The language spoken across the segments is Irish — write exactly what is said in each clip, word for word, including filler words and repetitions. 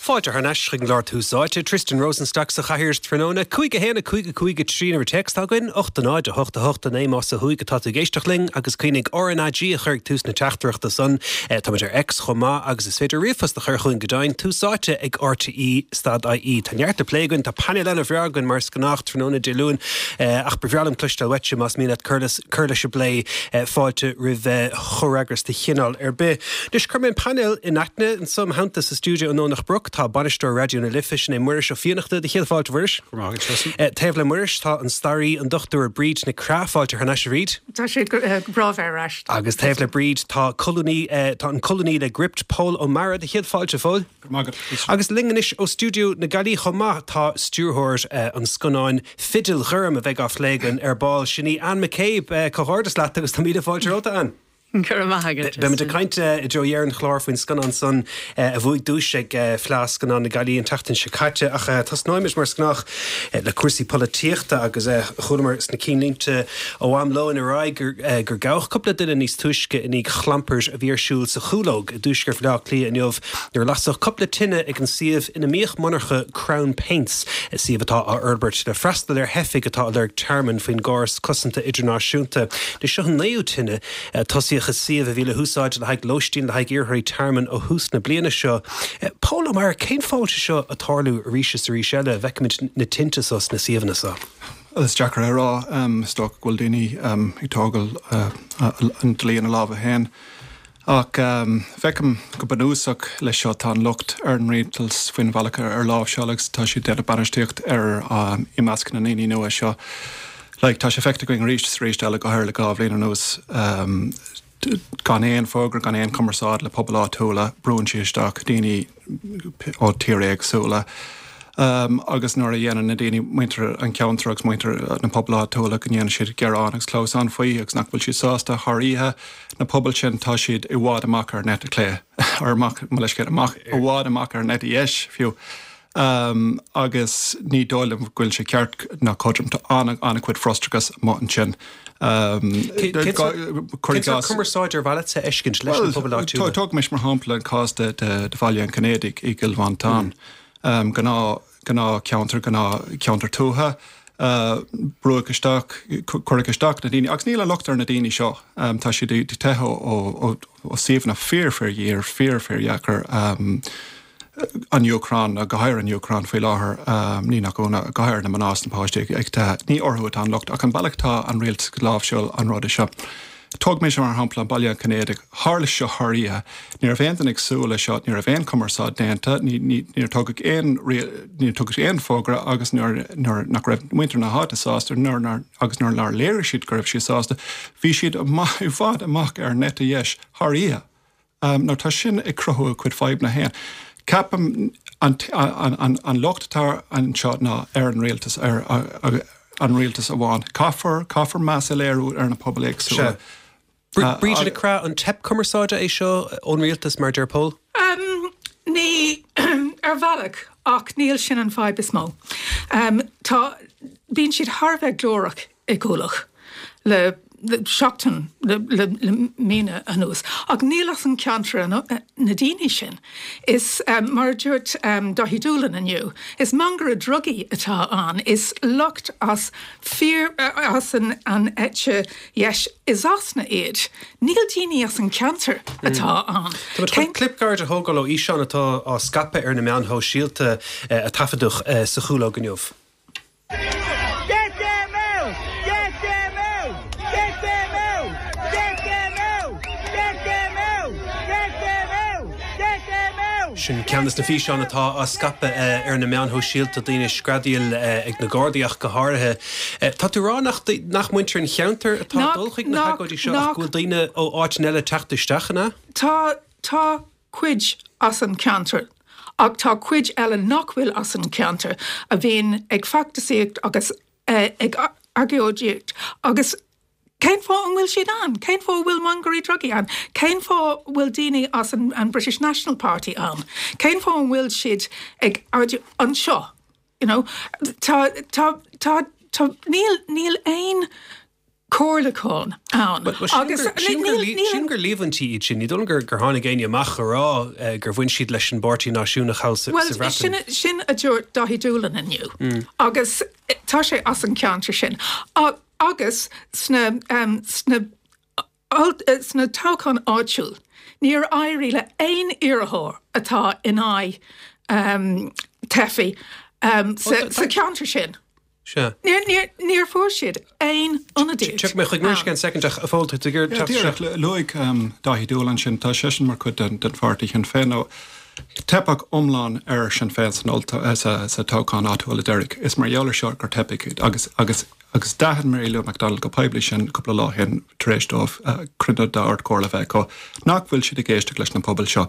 Fáilte thar n-ais chuig an gclár Tús Áite, Tristan Rosenstock sa chathaoir tráthnóna, cúig a haon a cúig a cúig a trí an uimhir téacs atá againn, ocht a náid a hocht a hocht a naoi más ó thuaidh atá tú ag éisteacht linn agus cuimhnigh RnaG a chur ag tús na teachtaireachta san. Táimid ar X chomh maith agus is féidir ríomhphost a chur chugainn go deimhin, Tús Áite ag RTE stad IE. Tá neart le plé againn, tá painéal an-bhreá againn mar is gnách tráthnóna Dé Luain ach ba bhreá liom cloisteáil uaitse más mian leat cur leis an bplé. Fáilte roimh chomhfhreagras de chineál ar bith. Anois cuirfidh mé an painéal in aithne anseo im theannta sa stiúideo i nDomhnach Broc. Tá bainisteoir Raidió na Life, sin é Muiris Ó Fiannachta. Do chéad fáilte, a Mhuiris. Go raibh maith agat, Tristan. Taobh le Muiris tá an staraí, an Dochtúir Bríd Nic Craith. Fáilte thar n-ais, a Bhríd. Tá sé go breá bheith ar ais. Agus taobh le Bríd tá colúnaí, tá an colúnaí le Gript, Pól Ó Meára. Do chéad fáilte, a Phóil. Go raibh maith agat, Tristan. Agus linn anois ó stiúideo na Gaillimhe chomh maith tá stiúrthóir an scannáin Fidil Ghorm a bheidh á phlé againn ar ball, sin í Anne McCabe. Comhghairdeas leat agus tá míle fáilte romhat, a Anne. Go raibh maith agat. Beimid ag caint i dtreo dheireadh an chláir faoin scannán san a bhuaigh duais ag Fleadh Scannán na Gaillimhe an tseachtain seo caite ach tosnóimid mar is gnách le cúrsaí polaitíochta agus chualamar sna cinnlínte ó am lóin ar aghaidh gur gabhadh cúpla duine níos túisce i ndiaidh chlampair a bhí ar siúl sa Chúlóg i dtuaisceart Bhaile Átha Cliath inniu nuair a lasadh cúpla tine ag an suíomh ina mbíodh monarcha Crown Paints, suíomh atá á fhorbairt le freastal ar theifigh atá ag lorg tearmainn faoin gcóras cosanta idirnáisiúnta. Seo an naoú tine a tosaíodh i suíomh a bhí le húsáid le haghaidh lóistín le haghaidh iarrthóirí tearmainn ó thús na bliana seo. Pól Ó Meára, cén fáth a bhfuil sé seo ag tarlú arís is arís eile, a bhfeicimid na tinte seo sna suíomhanna seo? Is deacair a rá. Is dócha go bhfuil daoine ag tógáil an dlí ina lámha féin. Ach feicim go bunúsach leis seo, tá an locht ar an rialtas faoin bhealach ar láimhseáil agus tá siad ag déanamh bainistíocht ar i measc na ndaoine nua seo. Like, tá sé feicthe againn arís is arís eile, go háirithe le dhá bhliain anuas, gan aon fógra, gan aon chumarsáid le pobail áitiúla, brúnn siad isteach daoine ó tíortha éagsúla. Agus nuair a dhéanann na daoine, muintir an cheantair agus muintir na pobail áitiúla, go ndéanann siad gearán agus clamhsán faoi agus nach bhfuil siad sásta thar oíche, na pobail sin, tá siad i bhfad amach ar an eite chlé, ar amach, mo leithscéal, amach, i bhfad amach ar an eite dheis fiú. Agus ní dóigh liom go bhfuil sé ceart ná cothrom. Tá an-chuid frustrachas amuigh ansin. Cén sórt cumarsáid ar mhaith leat a fheiscint leis na pobail áitiúla? Bhuel, tógaimis mar shampla an cás de Bhaile an Chinnéidigh i gCill Mhantáin. Gnáth, gnáthcheantar, gnáthcheantar tuaithe. Brúadh isteach, cuireadh isteach na daoine, agus níl an locht ar na daoine seo, tá siad ag teitheadh ó suíomhanna fíor, fíor-ghéar, fíor, fíordheacair. An Úcráin, go háirithe an Úcráin faoi láthair, ní nach ionadh, go háirithe na mná is na páistí ag teitheadh. Ní orthu atá an locht ach an bealach atá an rialtas ag láimhseáil an ruda seo. Tógaimis mar shampla an Baile an Chinnéidigh. Tharla seo thar oíche. Ní raibh aon duine ag súil leis seo, ní raibh aon chumarsáid déanta, níor tugadh aon, níor tugadh aon fógra agus nuair nach raibh muintir na háite sásta nuair agus nuair nár léirigh siad go raibh siad sásta, bhí siad i bhfad amach ar an eite dheis thar oíche. Now tá sin ag cruthú a cuid fadhbanna féin. Ceapaim an locht atá anseo ná ar an rialtas, ar an rialtas amháin. Caithfear, caithfear meas a léiriú ar na pobail éagsúla. Sea. Bríd Nic Craith, an teip cumarsáide é seo ón rialtas, mar a deir Pól? Ní, ar bhealach, ach níl sin an fadhb is mó. Tá, bíonn siad thar a bheith glórach i gCuallacht le seachtain, le míonna anuas. Ach níl as an ceantar na daoine sin. Is, mar a dúirt Daithí Doolan inniu, is mangaire drugaí atá ann, is lucht as fíor, as an eite dheis i Sasana iad. Níl daoine as an ceantar atá ann. Tá muid chun clip gairid a thógáil ó fhíseán atá á scaipeadh ar na meáin shóisialta a taifeadadh sa Chúlóg inniu. Get them out! Get them out! Get them out! Get them out! Get them out! Get them out! Get them out! Sin ceann de na físeáin atá á scaipeadh ar na meáin shóisialta, daoine ag screadaíl ag na Gardaí ach go háirithe. Tá tú ag rá nach nach muintir an cheantair atá ag dul chuig na hagóidí seo ach go bhfuil daoine ó áiteanna eile ag teacht isteach, an ea? Tá, tá cuid as an ceantar ach tá cuid eile nach bhfuil as an ceantar a bhíonn ag feachtasaíocht agus ag agóidíocht agus cén fáth an bhfuil siad ann? Cén fáth a bhfuil mangairí drugaí ann? Cén fáth a bhfuil daoine as an British National Party ann? Cén fáth an bhfuil siad ag anseo? You know, tá, tá, tá, tá, níl, níl aon comhairliúchán ann. Agus sílim gur líomhaintí iad sin, ní dóigh liom gur gur tháinig éinne amach a rá gur bhain siad leis an bPáirtí Náisiúnach thall sa Bhuel, Bhreatain. sin sin a dúirt Dáithí Doolan inniu agus tá sé as an ceantar sin. Agus sna sna sna toghcháin áitiúil, níor éirigh le aon iarrthóir atá in aghaidh um, teifigh um, sa, sa ceantar sin. Sea. Níor, níor, níor fuair siad aon ionadaíocht. Tiocfaidh mé chuig Muiris in soicind ach a Phóil tú ag iarraidh teacht Díreach isteach. luaigh um, Dáithí Doolan sin tá seisean mar chuid den, den pháirtí Shinn Féin nó teipeadh iomlán ar Sinn Féin san ollto- eh, sa, sa toghchán áitiúil deiridh. Is mar gheall air seo gur teipeadh agus agus agus d'aithin Mary Lou McDonald go poiblí sin cúpla lá ó shin tar éis dóibh uh, cruinniú d'Ardchomhairle bheith acu nach bhfuil siad ag éisteacht leis na pobail seo.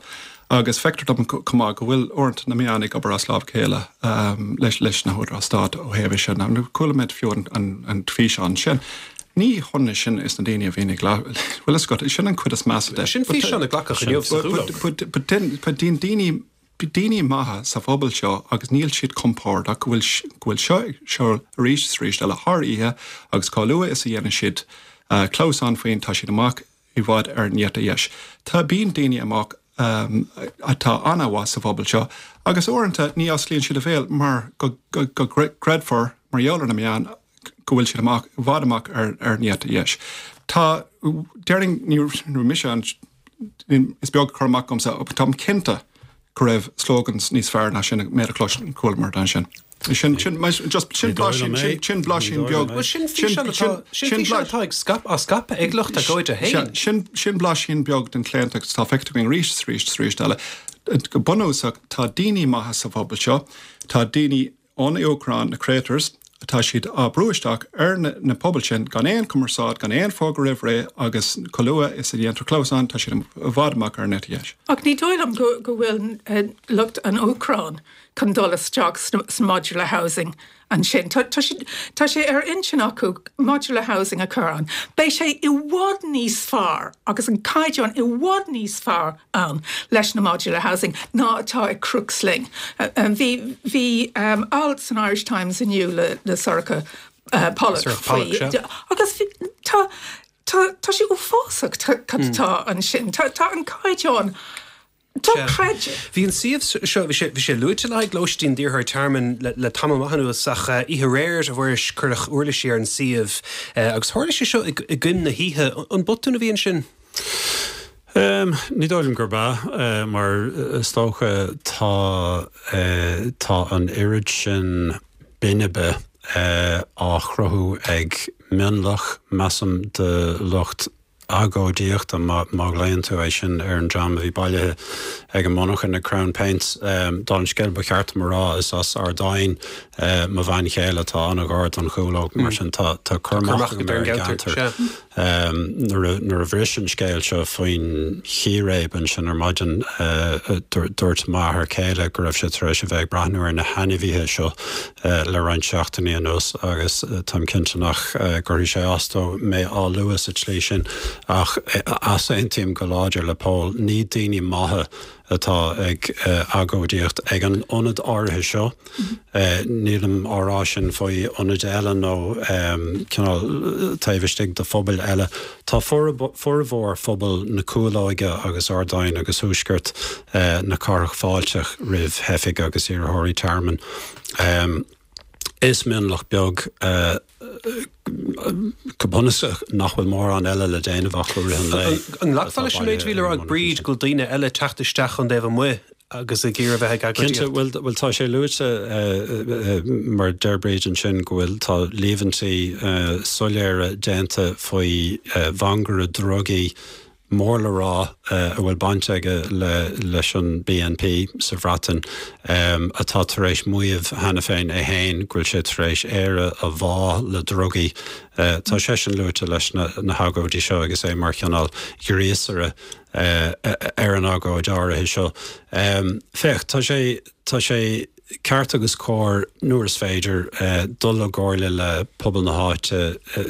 Agus feictear dom chomh maith go bhfuil uaireanta na meáin ag obair as lámh a chéile um, leis leis na húdaráis stáit ó thaobh sin. Chuala muid fiú an, an, an físeán sin. Ní hionann sin is na daoine a bhíonn ag bhfuil a fhios agat sin an chuid is measa de. Sin físeán a glacadh inniu sa Chúlóg. Daoine daoine maithe sa phobal seo agus níl siad compordach go bhfuil go bhfuil seo seo arís is arís eile thar oíche agus chomh luath is a dhéanann siad uh, clamhsán faoin tá siad amach i bhfad ar an eite dheis. Tá bíonn daoine amach um, atá an-mhaith sa phobal seo, agus uaireanta ní osclaíonn siad a bhéal mar go, go, go gcreidfear mar gheall ar na meáin go bhfuil siad amach i bhfad amach ar ar an eite dheis. Tá déarfainn ní mise an is beag cur amach agamsa táim cinnte go raibh slogans níos fearr ná sin mé a chlos chualamar dan sin. Sin sin just sin blaisín sin sin blaisín beag Well sin físeán atá sin físeán atá ag scaip á scaipeadh ag lucht agóide féin. Sin sin blaisín beag den chlaontacht atá feicthe againn arís arís arís eile. Go bunúsach tá daoine maithe sa phobal seo, tá daoine ón Úcráin na traitors, atá siad á brú isteach ar na, na pobail sin gan aon chumarsáid gan aon fógra roimh ré agus chomh luath is a dhéantar clamhsán tá siad i bhfad amach ar an eite dheis. Ach ní dóigh liom go, go bhfuil uh, lucht an Úcráin chun dul isteach sna, sna modular housing ansin. Tá, tá, sé, tá sé ar intinn acu modular housing a chur ann. Beidh sé i bhfad níos fearr agus an caighdeán i bhfad níos fearr ann leis na modular housing ná atá ag Crooksling. Uh, um, bhí bhí um, alt san Irish Times inniu le, le Sorcha uh, Pollock Sorcha Pollock, faoi- sea. agus bhí- tá tá tá sé uafásach tá cad atá ansin. Tá tá an caighdeán dochreidte. Bhí an suíomh seo bhí sé bhí sé luaite le haghaidh lóistín d'iarrthóirí tearmainn le, le tamall maith anuas ach uh, oíche aréir a Mhuiris cuireadh uirlisí ar an suíomh uh, agus tharla sé seo i i gcoim na hoíche an botún a bhí ansin. Um, ní dóigh liom gurb ea uh, mar is dócha tá uh, tá an oiread sin binbe uh, á chruthú ag mionlach measaim de lucht agóidíochta má má ghlaonn tú é sin ar an dream a bhí bailithe ag an monarcha na Crown Paints um, don scéal ba cheart mar rá is as Ardáin uh, mo bhean chéile atá an-ghar don Chúlóg mar sin tá tá cur amach Cur amach ar an ar an gceantar, gceantar. Um, nuair a- nuair a bhris an scéal seo faoin chíréib ansin ar maidin uh, dúirt m'athair céile go raibh sé tar éis a bheith ag breathnú ar na hainmhithe seo uh, le roinnt seachtainí anuas agus uh, táim cinnte nach uh, gcuirfidh sé as dó mé á lua sa tslí sin ach uh, easaontaím go láidir le Pól ní daoine maithe atá ag uh, agóidíocht ag an ionad áirithe seo. Uh, Nílim á rá sin faoi ionaid eile nó um, cineál taobh istigh de phobail eile. Tá formhór phobal na Cúlóige agus Ardáin agus thuaisceart uh, na cathrach fáilteach roimh theifigh agus iarrthóirí tearmainn. Um, is mionlach beag uh, go bunúsach nach bhfuil mórán eile le déanamh ach go rith an lae. An nglacfá leis an méid a bhí le rá ag Bríd go bhfuil daoine eile teacht isteach ón dtaobh amuigh agus ag iarraidh bheith ag Cinnte agóidíocht. bhfuil bhfuil tá sé luaite uh, uh, mar deir Bríd ansin go bhfuil tá líomhaintí uh, soiléire déanta faoi uh, mhangaire drugaí mór le rá uh, a bhfuil baint aige le leis an BNP sa Bhreatain um, atá tar éis maíomh cheana féin é féin go bhfuil sé tar éis Éire a bhá le drugaí. Uh, tá sé sin luaite leis na, na hagóidí seo agus é mar chineál gríosaire uh, ar an agóid áirithe seo. Um, féach tá sé tá sé ceart agus cóir nuair is féidir uh, dul i gcomhairle le pobal na háite uh,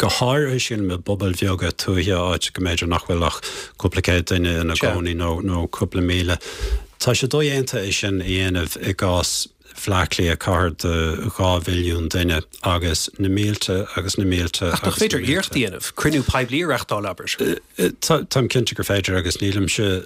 go háirithe sin i bpobail bheaga tuaithe áit go mb'fhéidir nach bhfuil ach cúpla céad duine ina Sea. gcónaí nó nó cúpla míle. Tá sé dodhéanta é sin a dhéanamh i gcás Bhleá Cliath, cathair de dhá mhilliún duine, agus na mílte agus na mílte. Ach nach féidir iarracht a dhéanamh, cruinniú poiblí a reáchtáil, abair? Táim cinnte gur féidir agus nílimse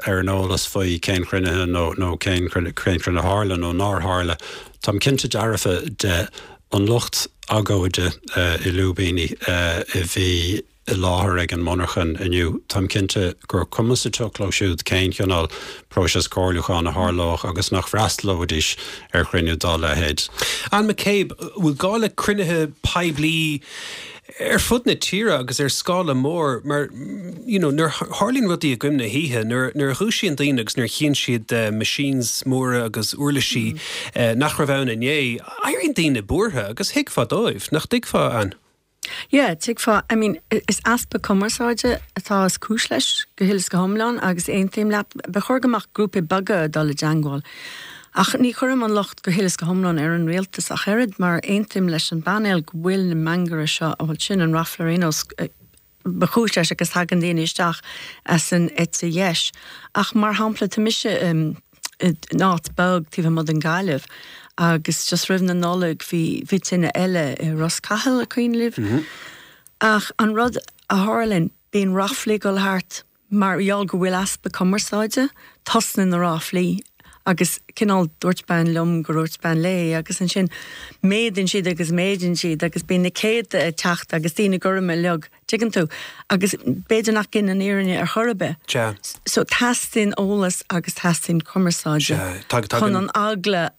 ar an eolas faoi cén chruinnithe nó nó cén cruinnithe a tharla nó nár tharla. Táim cinnte dearfa de an lucht agóide i lúibíní a bhí i láthair ag an monarchan inniu, táim cinnte gur cuma sa tsioc leo siúd cén chineál próiseas comhairliúcháin a tharlódh agus nach bhfreastalóidís ar chruinniú dá leithéid. Anne McCabe, bhfuil gá le cruinnithe poiblí ar fud na tíre agus ar scála mór mar you know, nuair a tharlaíonn rudaí i gcoim na hoíche, nuair nuair a dhúisíonn daoine agus nuair a chíonn siad uh, machines móra agus uirlisí mm. uh, nach raibh ann inné, éiríonn daoine buartha agus thuigfeá dóibh, nach dtuigfeá, Anne? Yeah, tuigfeá, I mean, is easpa cumarsáide atá is cúis leis go huile is go hiomlán agus aontaím leat, ba chóir go mbeadh grúpaí beaga ag dul i dteagmháil. Ach ní chuirim an locht go huile is go hiomlán ar an rialtas ach oiread mar aontaím leis an bpainéal go bhfuil na mangairí seo a bhfuil sin an ráfla ar aon nós ba chúis leis agus tagann daoine isteach as an eite dheis. Ach mar shampla tá mise in áit beag taobh amuigh den Ghaillimh agus just roimh na Nollag bhí bhí tine eile i Ros Cathail an cuimhin libh. Mm -hmm. Ach an rud a tharlaíonn bíonn ráflaí ag dul thart mar gheall go bhfuil easpa cumarsáide tosnaíonn na ráflaí agus cineál dúirt bean liom gur dhúirt bean léi agus ansin méadaíonn siad agus méadaíonn siad agus bíonn na céadta ag teacht agus daoine gorma uilig, tuigeann tú, agus b'fhéidir nach gin an fhírinne ar chor ar bith. Sea. So teastaíonn eolas agus teastaíonn cumarsáid Sea, tag- chun tagann- an eagla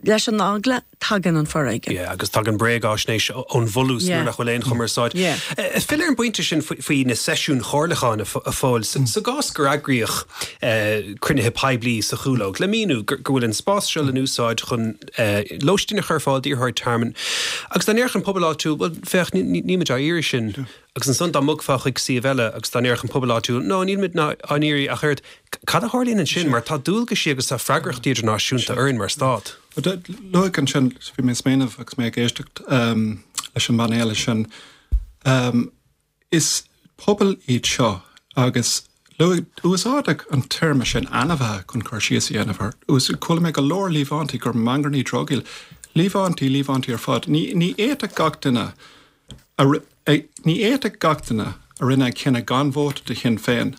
Leis an eagla, tagann an foréigean. Yeah, agus tagann bréagaisnéis ón bhfolús nuair nach bhfuil aon chumarsáid. Fill ar an bpointe sin faoi na seisiúin chomhairliúcháin a Phóil. Sa gcás gur eagraíodh cruinnithe poiblí sa Chúlóg le míniú go bhfuil an spás seo le n-úsáid chun lóistín a chur ar fáil d'iarrthóirí tearmainn agus dá ndéarfadh an pobal áitiúil, bhuel, féach, nílimid á iarraidh sin. Agus ansan dá mbogfá chuig suíomh eile agus dá ndéarfadh an pobal áitiúil, no, nílimid á n-iarraidh ach oiread, cad a tharlaíonn ansin mar tá dualgaisí agus tá freagrachtaí idirnáisiúnta orainn mar stát. Luaigh ansin, bhí mé ag smaoineamh agus mé ag éisteacht leis an bpainéal sin, is pobal iad seo agus luaigh, úsáideadh an téarma sin ainmhithe chun cur síos a dhéanamh air. Chuala mé go leor líomhaintí gur mangairí drugaí, líomhaintí, líomhaintí ar fad. Ní fhéadfadh gach duine a Ní fhéadfadh gach duine a rinne an cinneadh gan vóta do Shinn Féin,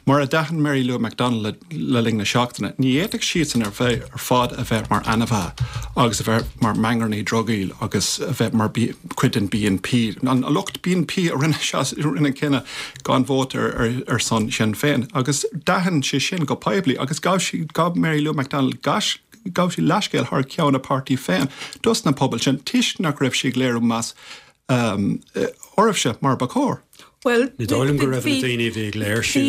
mar a d'aithin Mary Lou McDonald le linn na seachtaine, ní fhéadfadh siadsan ar bheith ar fad a bheith mar ainmhithe agus a bheith mar mhangairí drugaí agus a bheith mar chuid den B N P. An lucht B N P a rinne an cinneadh gan vóta ar son Shinn Féin agus d'aithin sí sin go poiblí agus ghabh sí, ghabh Mary Lou McDonald ghabh sí leithscéal thar ceann a páirtí féin dos na pobail sin toisc nach raibh sí ag léiriú meas oraibhse mar ba chóir. Bhuel, Ní dóigh liom go raibh na daoine a bhí ag léirsiú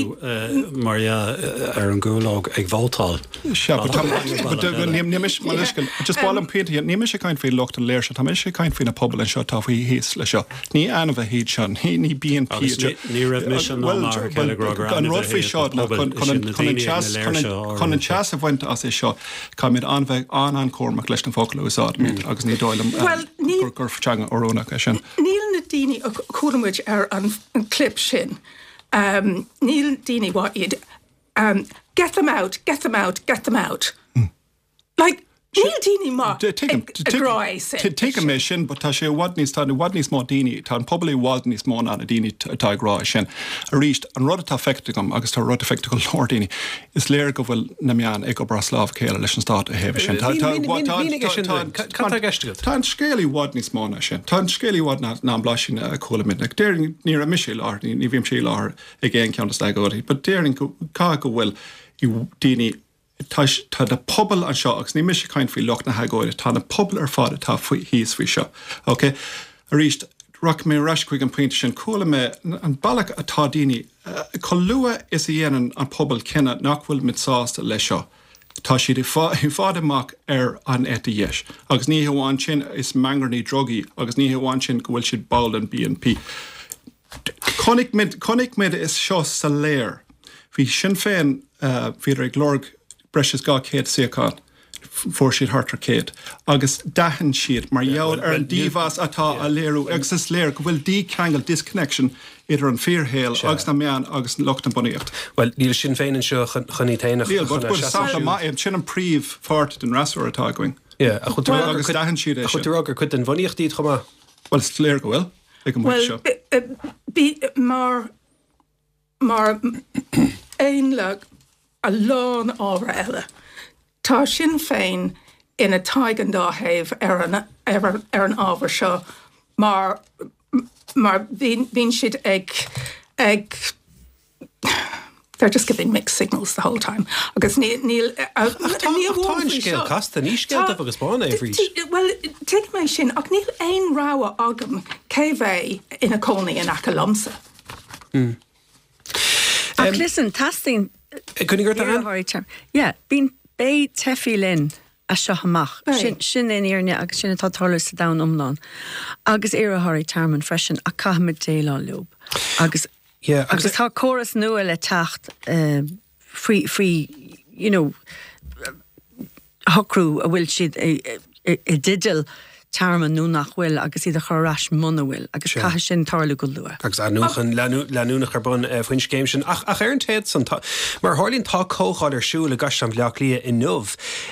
mar dhea ar an gCúlóg ag vótáil. Sea, but tá, but ní ní mise, mo leithscéal, just ba mhaith liom pointe a dhéanamh, ní mise ag caint faoi lucht an léirsithe, tá mise ag caint faoi na pobail anseo atá faoi thíos leis seo. Ní ainmhithe iad seo, ní ní B N P Agus iad seo. ní raibh mise ná Bhuel, m'athair céile ag rá gur an rud ainmhithe faoi iad seo na ná pobail, chun is chun iad an na chun an daoine ag na teas chun an léirsithe chun an áirithe. teas a bhaint as é seo, caithfimid an-bheith an-an-chúramach leis na focail a úsáidimid agus ní dóigh liom Bhuel, ní gur gur teanga oiriúnach é sin. Níl na daoine a chuala muid ar an an clip sin, um, níl daoine what iad um, get them out, get them out, get them out. Like, níl daoine maith ag ag rá é sin. Tuigim é sin, but tá sé i bhfad níos tá i bhfad níos mó daoine, tá an pobal i bhfad níos mó ná na daoine atá ag rá é sin. Arís, an rud atá feicthe agam agus tá rud feicthe go leor daoine, is léir go bhfuil na meáin ag obair as lámh a chéile leis an stát a thaobh sin. Tá tá tá Mínigh é sin tá dúinn. Cad tá i gceist agat? Tá an scéal i bhfad níos mó ná sin. Tá an scéal i bhfad ná ná an blaisín a chuala muid. Like, déarfainn ní raibh mise i láthair, ní ní bhímse i láthair ag aon cheann de na hagóidí, but déarfainn go caithfidh go bhfuil daoine tá tá na pobail anseo agus ní mise ag caint faoi lucht na hagóide, tá na pobail ar fad atá faoi thíos faoi seo. Ok? Arís, rachaidh mé ar ais chuig an pointe sin, chuala mé an bealach atá daoine, chomh luath is a dhéanann an pobal cinneadh nach bhfuil muid sásta leis seo, tá siad i bhfad amach ar an eite dheis. Agus ní hamháin sin, is mangairí drugaí agus ní hamháin sin go bhfuil siad ball den B N P. Chonaic muid, chonaic muid é seo soiléir. Bhí Sinn Féin, bhíodar ag lorg breis is dhá chéad suíochán. Fuair siad thart ar céad. Agus d'aithin siad mar gheall ar an dímheas atá á léiriú agus is léir go bhfuil dícheangal disconnection idir an fíorshaol agus na meáin agus lucht na bunaíocht. Well níl Sinn Féin anseo chun iad féin a Níl, but but sampla maith é sin an príomhpháirt den fhreasúra atá againn. Yeah, ach chun Agus d'aithin siad é chun sin. tú rá gur cuid den bhunaíocht iad chomh maith. Well is léir go bhfuil ag an Well, seo. bí mar mar aon le a lán ábhar eile. Tá Sinn Féin ina thaobh an dá thaobh ar an, ar, an- ar an ábhar seo mar mar bhíonn bhíonn siad ag ag they're just giving mixed signals the whole time agus níl níl Ach tá ach tá an scéal casta, ní scéal dubh agus bán é arís. Well tuigim é sin ach níl aon rogha agam cé bheidh ina cónaí in aice liomsa. Ach listen, teastaíonn Cun gur an? iarrthóirí tearmainn. Yeah, bíonn beidh teifigh linn as seo amach. Beidh. Sin sin an fhírinne agus sin atá ag tarlú sa domhan iomlán. Agus iarrthóirí tearmainn freisin a caithfimid déileáil leo. Agus Yeah, agus- agus tá córas nua le teacht uh, faoi faoi you know shocrú a bhfuil siad i i- i dteideal tearmann nó nach bhfuil agus iad a chur ar ais muna bhfuil agus Sure. caithfidh sin tarlú go luath. agus athnuachan leanúnach ar bun eh, faoin scéim sin ach ach ar an téad san tá- mar tharlaíonn tá comhdháil ar siúl i gCaisleán Bhaile Átha Cliath inniu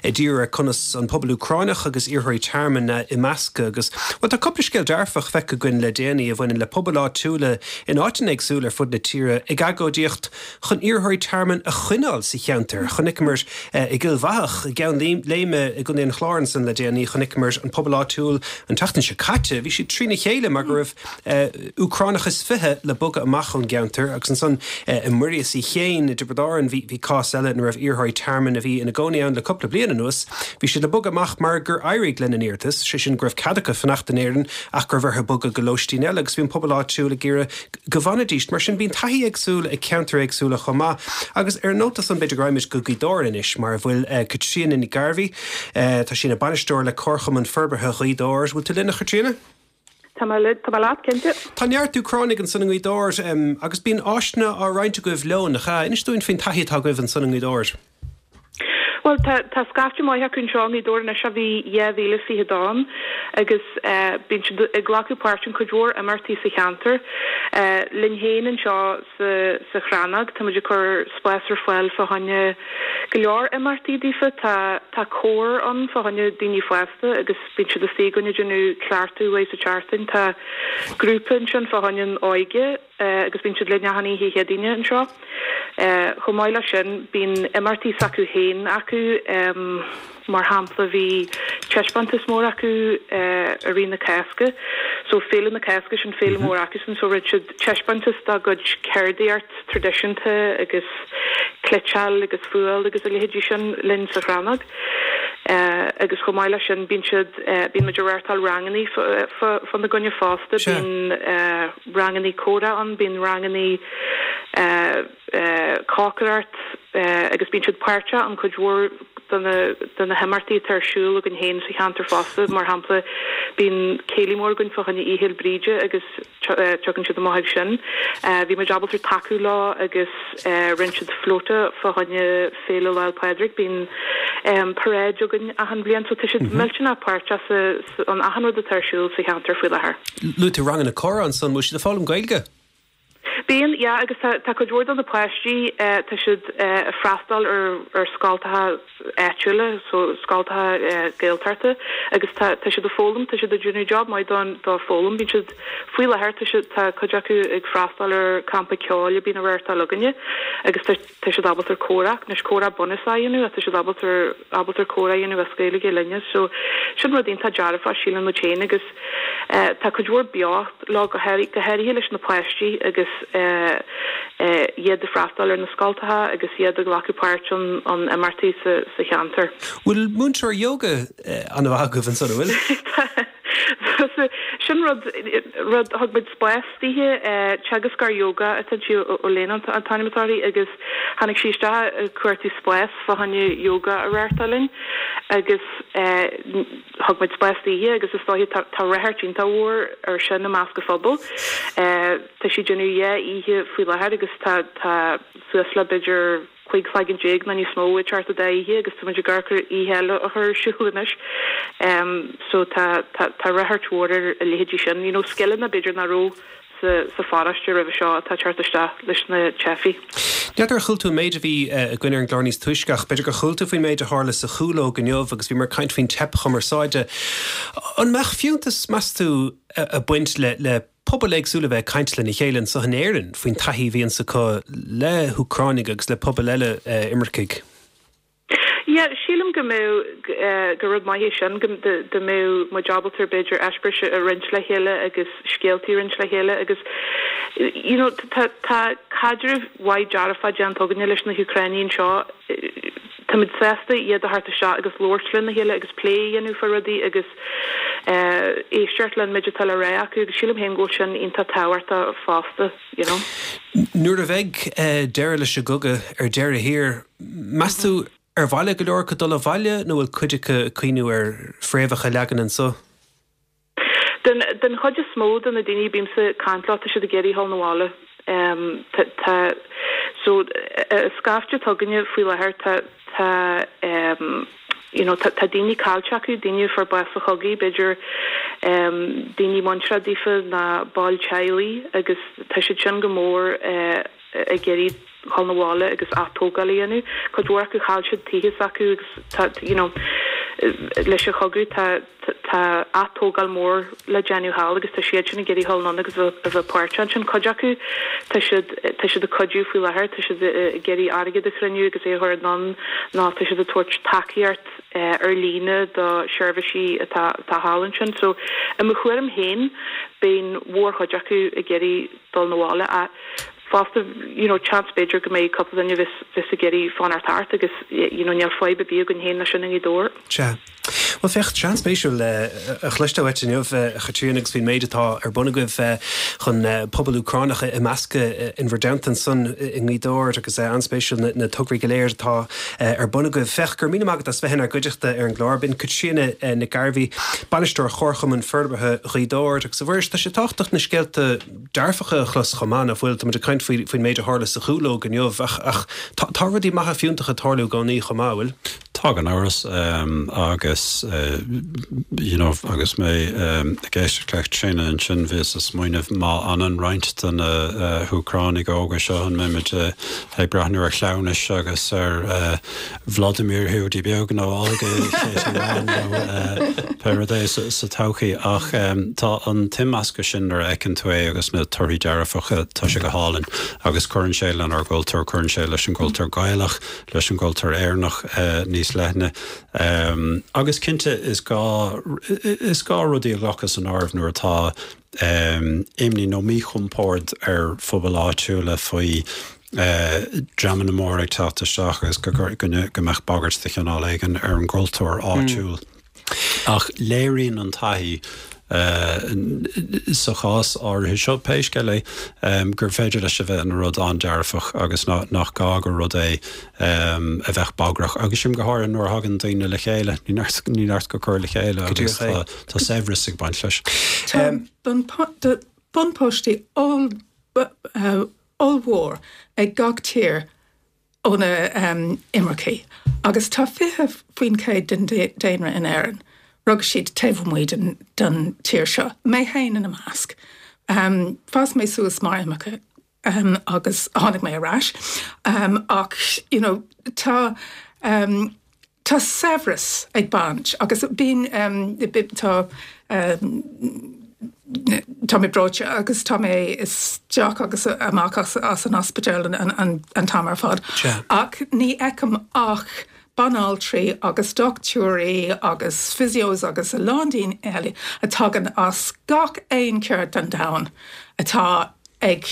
ag díriú ar conas an pobal Úcránach agus iarrthóirí tearmainn a imeascadh agus well tá cúpla scéal dearfach feicthe againn le déanaí a bhaineann le pobail áitiúla in áiteanna éagsúla ar fud na tíre ag agóidíocht chun iarrthóirí tearmainn a choinneáil sa cheantar. Chonaiceamar eh, i gCill Bhathach i gCeann Léime i gContae an Chláir ansan le déanaí chonaiceamar an pobal áitiúil an tseachtain seo caite, bhí siad trína chéile mar go raibh eh, Úcránach is fiche le bogadh amach ón gceantar agus ansan eh, i Muiríos Uí Chéin i dTiobraid Árann bhí bhí cás eile ina raibh iarrthóirí tearmainn a bhí ina gcónaí ann le cúpla bliain anuas, bhí siad le bogadh amach mar gur éirigh lena n-iarratas, sé sin go raibh cead acu fanacht in Éirinn ach go raibh orthu bogadh go lóistín eile agus bhí an pobal áitiúil ag iarraidh go bhfanfaidís, mar sin bíonn taithí éagsúil ag ceantair éagsúla chomh maith. Agus ar an nóta san b'fhéidir go raghaimid go Gaoth Dobhair anois mar a bhfuil eh, Caitríona Ní Ghairbhí, eh, tá sí ina bainisteoir le Comharchumann Forbartha Ghaoth Dobhair, bhfuil tú linn a Chaitríona? Tá mé le tá mé leat cinnte. Tá neart Úcránaigh ansan i nGaoth Dobhair um, agus bíonn áiseanna á roinnt agaibh leo nach ea inis dúinn faoin taithí atá agaibh ansan i nGaoth Dobhair. Well tá tá scaifte maith acu anseo i nGaoth Dobhair anois a bhí dhá mhíle fiche ann agus eh, bíonn siad ag glacadh páirt in cuid mhór imeachtaí sa cheantar. Eh, linn féin anseo sa sa Chrannóg tá muid ag cur spás ar fáil fá choinne go leor imeachtaí daofa tá tá cór ann fá choinne daoine fásta agus bíonn siad istigh againne ag déanamh cleachtadh uaidh sa tseachtain tá grúpa ansin fá choinne an óige eh, agus bíonn siad linn achan oíche Chéadaoine anseo. Eh, chomh maith leis sin bíonn imeachtaí s'acu féin acu um, mar shampla bhí taispeántas mór acu uh, i rith na Cásca, so féile na Cásca sin féile mór acu sin so rinne siad taispeántas dá gcuid ceardaíocht traidisiúnta agus cniotáil agus fuáil agus a leithéidí sin linn sa Chrannóg. Uh, agus chomh maith leis sin bíonn siad uh, bíonn muid ag reáchtáil ranganna fá na gcoinne fásta Sure. bíonn uh, ranganna comhrá ann bíonn ranganna uh, uh, cócaireacht uh, agus bíonn siad páirteach an cuid mhór de na de na himeachtaí atá ar siúl againn féin sa cheantar fosta mar shampla bíonn céilí mór againn fá choinne Oíche Fhéile Bríde agus tugann siad amach ag sin. Uh, bhí muid ábalta tacú leo agus uh, rinne siad flóta fá choinne Féile Lá 'le Pádraig bíonn um, paráid againn achan bhliain so tá siad millteanach páirteach sa sa- an achan rud atá ar siúl sa cheantar faoi láthair. Luaigh tú ranganna comhrá ansan bhfuil siad ag foghlaim Gaeilge? Bíonn yeah, agus tá tá cuid mhór de na páistí eh, tá siad eh, freastal ar ar scoltacha áitiúla so scoltacha eh, Gaeltachta agus tá tá siad ag foghlaim tá siad ag déanamh job maith don dá foghlaim bíonn siad faoi láthair tá siad tá cuid acu ag freastal ar campa ceoil a bhíonn á reáchtáil againne agus tá tá siad ábalta comhrá anois comhrá bunúsach a dhéanamh tá siad ábalta ábalta comhrá a dhéanamh as Gaeilge linne so sin rud iontach dearfach sílim muid féin agus eh, tá cuid mhór beocht leo go háirithe go háirithe leis na páistí agus eh, eh, iad ag freastal ar na scoltacha agus iad ag glacadh páirt an an imeachtaí sa sa cheantar. Bhfuil múinteoir yoga eh, an-mhaith agaibh ansan bhfuil? Sin rud rud thug muid spás dithe teagascóir yoga atá sí ó léon an t-ainm agus tháinig sí isteach cuartú spás fá choinne yoga a reáchtáil linn agus thug muid spás dithe agus is dóiche tá ráchairt iontach mhór ar sin i measc an phobail. Tá sí déanamh dhá oíche faoi láthair agus tá tá suas le b'fhéidir cúig cloigeann déag nó níos mó ag teacht an dá oíche agus tá muid ag amharc ar oíche eile a chur ar siúl anois. So tá tá tá ráchairt mhór ar a leithéidí sin, you know, scileanna b'fhéidir nach raibh sa sa pharóiste roimhe seo atá ag teacht isteach leis na teifigh. N'fheadar ar chuala tú an méid a bhí againn ar an gclár níos túisce ach b'fhéidir gur chuala tú faoin méid a tharla sa Chúlóg inniu agus bhíomar ag caint faoin teip chumarsáide. An mbeadh fiúntas, meas tú, ag baint le le pobail éagsúla bheith ag caint lena chéile anseo in Éirinn faoin taithí a bhíonns acu le hÚcránaigh agus le pobail eile imircigh? Yeah, sílim go mbeadh gur rud maith é sin go dá mbeadh muid ábalta b'fhéidir eispéiris a roinnt le chéile agus scéaltaí a roinnt le chéile agus you know tá tá caidreamh mhaith dearfa déanta againne leis na hÚcránaigh anseo. Táimid sásta iad a thabhairt isteach agus labhairt lena chéile agus plé a dhéanamh faoi rudaí agus éisteacht leis an méid atá le rá acu agus sílim féin go bhfuil sin iontach tábhachtach fosta, you know. Nuair a bheidh deireadh leis an gcogadh ar deireadh thiar, meas tú ar mhaith le go leor acu dul abhaile nó bhfuil cuid acu ag cuimhniú ar fréamhacha a leagan anseo? Den den chuid is mó de na daoine bímse ag caint leo tá siad ag iarraidh dhul 'na bhaile. Tá tá so scaifte atá againne faoi láthair tá tá you know tá tá daoine caillte acu, daoine a fuair bás sa chogadh, b'fhéidir daoine muinteartha daofa ná baill teaghlaigh agus tá siad sin go mór ag iarraidh dhul 'na bhaile agus atógáil a dhéanamh. Cuid mhór acu chaill siad tithe s'acu agus tá you know leis an chogadh tá tá atógáil mór le déanamh thall agus tá siad sin ag iarraidh dhul anonn agus a bheith páirteach ansin. Cuid acu tá siad tá siad ag cuidiú faoi láthair, tá siad ag iarraidh airgead a chruinniú agus é a chur anonn nó tá siad ag tabhairt tacaíocht ar líne do sheirbhísí atá atá thall ansin. So i mo thuairim féin beidh an mhórchuid acu ag iarraidh dul 'na bhaile ach fosta you know seans b'fhéidir go mbeidh cúpla duine bheas bheas ag iarraidh fanacht thart agus you know níl fadhb ar bith againn féin leis sin i nGaoth Dobhair. Sea. Bhuel féach, tá sé an-spéisiúil a chloisteáil uait inniu, a Chaitríona, agus faoin méid atá ar bun agaibh chun pobal Úcránach a imeascadh in bhur dteannta ansan i nGaoth Dobhair agus an-spéisiúil na tograí go léir atá ar bun agaibh. Féach, go raibh míle maith agat as bheith inár gcuideachta ar an gclár. B'in Caitríona Nic Gairbhí, Bainisteoir Chomharchumann Forbartha Ghaoth Dobhair agus a Mhuiris, tá sé tábhachtach na scéalta dearfacha a chlos chomh maith, nach bhfuil? Tá muid ag caint faoi faoin méid a tharla sa Chúlóg inniu ach ach tá tá rudaí maithe fiúntacha ag tarlú i gcónaí chomh maith, an bhfuil? Tá gan amhras agus you know agus mé ag éisteacht le Caitríona ansin bhíos ag smaoineamh má fhanann roinnt de na hÚcránaigh óga seo an mbeimid ag breathnú ar chleamhnais agus ar Vladimir Hiúdaí Beag nó Olga Katie Wan nó pé rud é sa todhchaí ach tá an t-imeascadh sin nuair a fheiceann tú é agus na torthaí dearfacha tá sé go hálainn agus cuireann sé lenár gcultúr, cuireann sé leis an gcultúr Gaelach, leis an gcultúr Éireannach níos leithne. Agus cinnte is gá is gá rudaí a ghlacadh san áireamh nuair atá imní nó míchompord ar phobail áitiúla faoi dreamanna móra ag teacht isteach agus go go mbeadh bagairt de chineál éigin ar an gcultúr áitiúil. Ach léiríonn an taithí sa chás áirithe seo, pé scéal é, gur féidir leis a bheith ina rud an-dearfach agus nach gá gur rud é a bheadh bagrach. Agus sin go háirithe nuair a thagann daoine le chéile, ní neart go cur le chéile agus tá saibhreas ag baint leis. Tá buntáistí ollmhór ag gach tír ó na imircigh agus tá fiche faoin chéad den daonra in Éirinn, rug siad taobh amuigh den, den tír seo, mé féin ina measc. Um, D'fhás mé suas mar imirceach um, agus tháinig mé ar ais um, ach you know, tá um, tá saibhreas ag baint agus bíonn um, tá um, Tá mé breoite agus tá mé isteach agus amach as, as an ospidéal an, an, an, an t-am ar fad. Ach ní fheicim ach banaltraí agus dochtúirí agus physios agus a lán daoine eile a tagann as gach aon cheard den domhan atá ag